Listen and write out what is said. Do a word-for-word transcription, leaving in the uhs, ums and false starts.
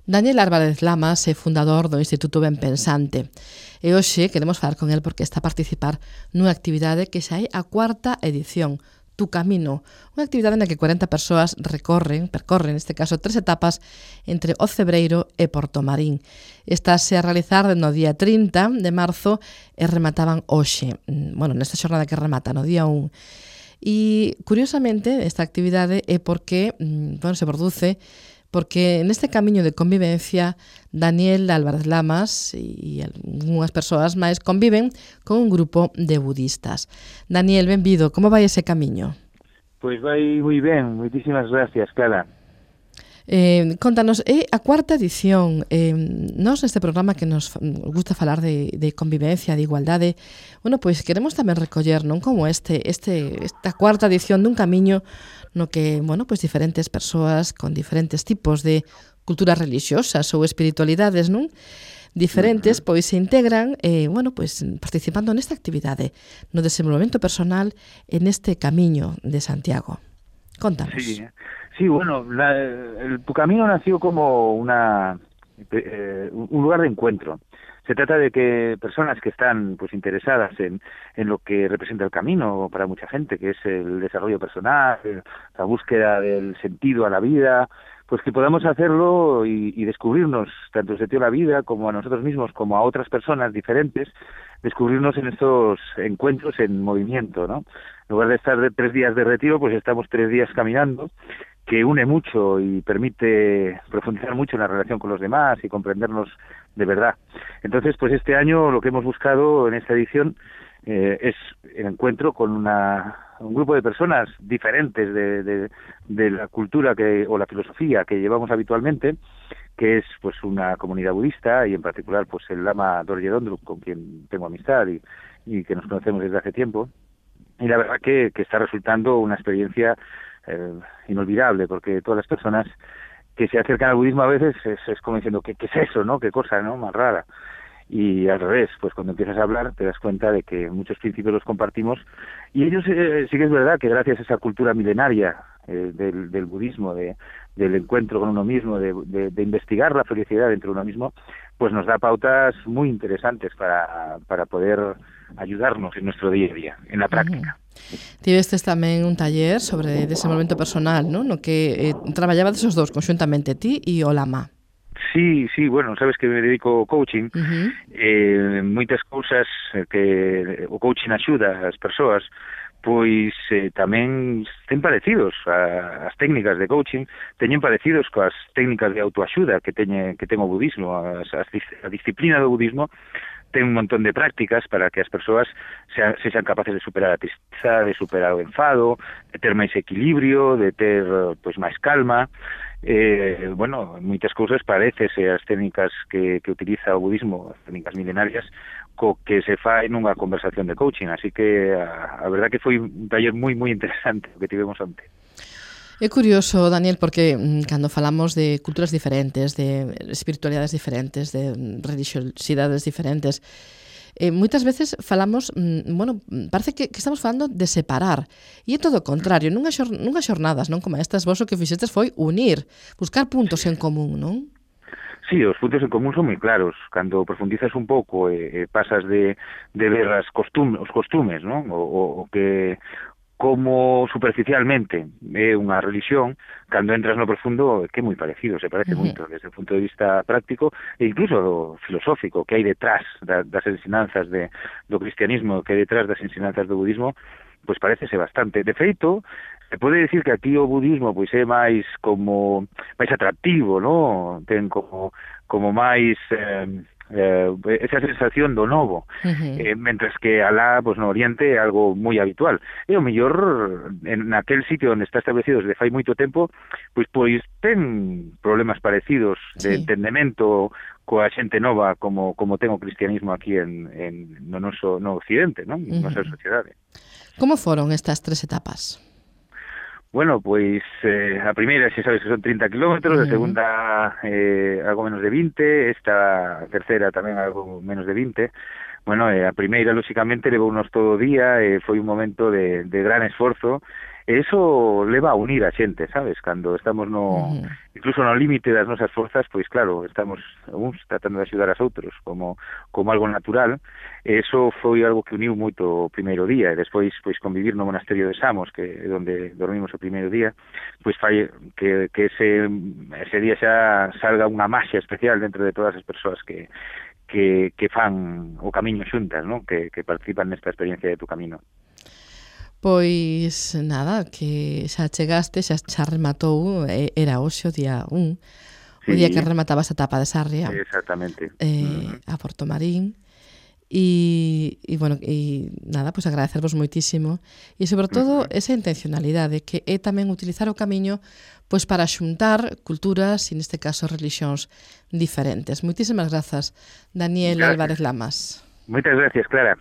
Daniel Álvarez Lamas é fundador do Instituto Ben Pensante e hoxe queremos falar con el porque está a participar nunha actividade que xa é a cuarta edición, Tu Camino, unha actividade na que cuarenta persoas recorren, percorren neste caso tres etapas entre o Cebreiro e Portomarín. Estase a realizar no día trinta de marzo e remataban hoxe, bueno, nesta xornada que remata no día un. E, curiosamente, esta actividade é porque, bueno, se produce porque neste camiño de convivencia Daniel Álvarez Lamas e algunhas persoas máis conviven con un grupo de budistas. Daniel, benvido, como vai ese camiño? Pois vai moi ben, moitísimas gracias, Clara. Eh, contanos, é a cuarta edición. Eh, nós neste programa que nos gusta falar de, de convivencia, de igualdade, bueno, pois queremos tamén recoller, non, como este, este, esta cuarta edición dun camiño no que, bueno, pois diferentes persoas con diferentes tipos de culturas religiosas ou espiritualidades, non? Diferentes, pois se integran, eh, bueno, pois participando nesta actividade, no desenvolvemento personal en este camiño de Santiago. Contanos. Sí, sí, bueno, la, el, Tu Camino nació como una eh, un lugar de encuentro. Se trata de que personas que están pues interesadas en, en lo que representa el camino para mucha gente, que es el desarrollo personal, la búsqueda del sentido a la vida, pues que podamos hacerlo y, y descubrirnos tanto el sentido a la vida como a nosotros mismos, como a otras personas diferentes, descubrirnos en estos encuentros en movimiento, ¿no? En lugar de estar de tres días de retiro, pues estamos tres días caminando, que une mucho y permite profundizar mucho en la relación con los demás y comprendernos de verdad. Entonces, pues este año lo que hemos buscado en esta edición eh, es el encuentro con una, un grupo de personas diferentes de, de, de la cultura que, o la filosofía que llevamos habitualmente, que es pues una comunidad budista y en particular pues el Lama Dorje Dondrup, con quien tengo amistad y, y que nos conocemos desde hace tiempo. Y la verdad que, que está resultando una experiencia eh, inolvidable, porque todas las personas que se acercan al budismo a veces es, es como diciendo, ¿qué, ¿qué es eso, no? ¿Qué cosa, no? Más rara. Y al revés, pues cuando empiezas a hablar te das cuenta de que muchos principios los compartimos y ellos eh, sí que es verdad que gracias a esa cultura milenaria eh, del, del budismo, de, del encuentro con uno mismo, de, de, de investigar la felicidad dentro de uno mismo, pues nos da pautas muy interesantes para, para poder ayudarnos en nuestro día a día, en la práctica. Uh-huh. Tivestes tamén un taller sobre desenvolvemento personal, ¿no? No que eh, traballabades os dous conxuntamente, ti e o Lama. Sí, sí, bueno, sabes que me dedico ao coaching, uh-huh. eh, moitas cousas que o coaching axuda as persoas, pois eh, tamén ten parecidos a, as técnicas de coaching, teñen parecidos coas técnicas de autoaxuda que teñe que ten o budismo, as, as, a disciplina do budismo ten un montón de prácticas para que as persoas sean, se sean capaces de superar a tristeza, de superar o enfado, de ter máis equilibrio, de ter pois máis calma. Eh, bueno, moitas cousas parecese as técnicas que, que utiliza o budismo, as técnicas milenarias, co que se fai nunha conversación de coaching, así que a, a verdad que foi un taller moi moi interesante o que tivemos onte. É curioso, Daniel, porque mm, cando falamos de culturas diferentes, de espiritualidades diferentes, de religiosidades diferentes, eh, moitas veces falamos, mm, bueno, parece que, que estamos falando de separar, e é todo o contrario, nunhas, xor, nunhas xornadas, non, como estas, vos o que fixestes foi unir, buscar puntos en común, non? Sí, os puntos en común son moi claros. Cando profundizas un pouco e eh, pasas de, de ver as costum, os costumes, non? O, o, o que como superficialmente é unha religión, cando entras no profundo é que é moi parecido, se parece uh-huh. moito desde o punto de vista práctico e incluso filosófico que hai detrás da, das ensinanzas de, do cristianismo, que hai detrás das ensinanzas do budismo, pois parecese bastante. De feito, se pode decir que aquí o budismo pois é máis como máis atractivo, no? Ten como como máis eh, eh, esa sensación do novo, uh-huh. eh, mentres que alá, pues, no Oriente é algo moi habitual. E o mellor, en aquel sitio onde está establecido desde fai moito tempo, pois pois ten problemas parecidos de sí. entendemento coa xente nova como como ten o cristianismo aquí en, en no noso no Occidente, non? Uh-huh. Nosa sociedade. Como foron estas tres etapas? Bueno, pois eh, a primeira xa sabes que son trinta kilómetros, uh-huh. a segunda eh, algo menos de vinte, esta terceira tamén algo menos de vinte. Bueno, eh, a primeira, lóxicamente, levounos todo o día, e eh, foi un momento de, de gran esforzo, E iso leva a unir a xente, sabes? Cando estamos no... Uh-huh. Incluso no límite das nosas forzas, pois claro, estamos uns tratando de axudar aos outros como, como algo natural. E iso foi algo que uniu moito o primeiro día, e despois pois convivir no monasterio de Samos, que é onde dormimos o primeiro día, pois fai que, que ese, ese día xa salga unha maxia especial dentro de todas as persoas que que, que fan o camiño xuntas, ¿no? que, que participan nesta experiencia de Tu Camino. Pois nada, que xa chegaste, xa, xa rematou, era hoxe o día un, sí. O día que remataba esa etapa de Sarria. Exactamente. Eh, mm. A Porto Marín. E, e bueno, e nada, pois agradecervos moitísimo e sobre todo uh-huh. esa intencionalidade que é tamén utilizar o camiño pois para xuntar culturas e neste caso religións diferentes. Moitísimas grazas, Daniel gracias. Álvarez Lamas. Moitas gracias, Clara.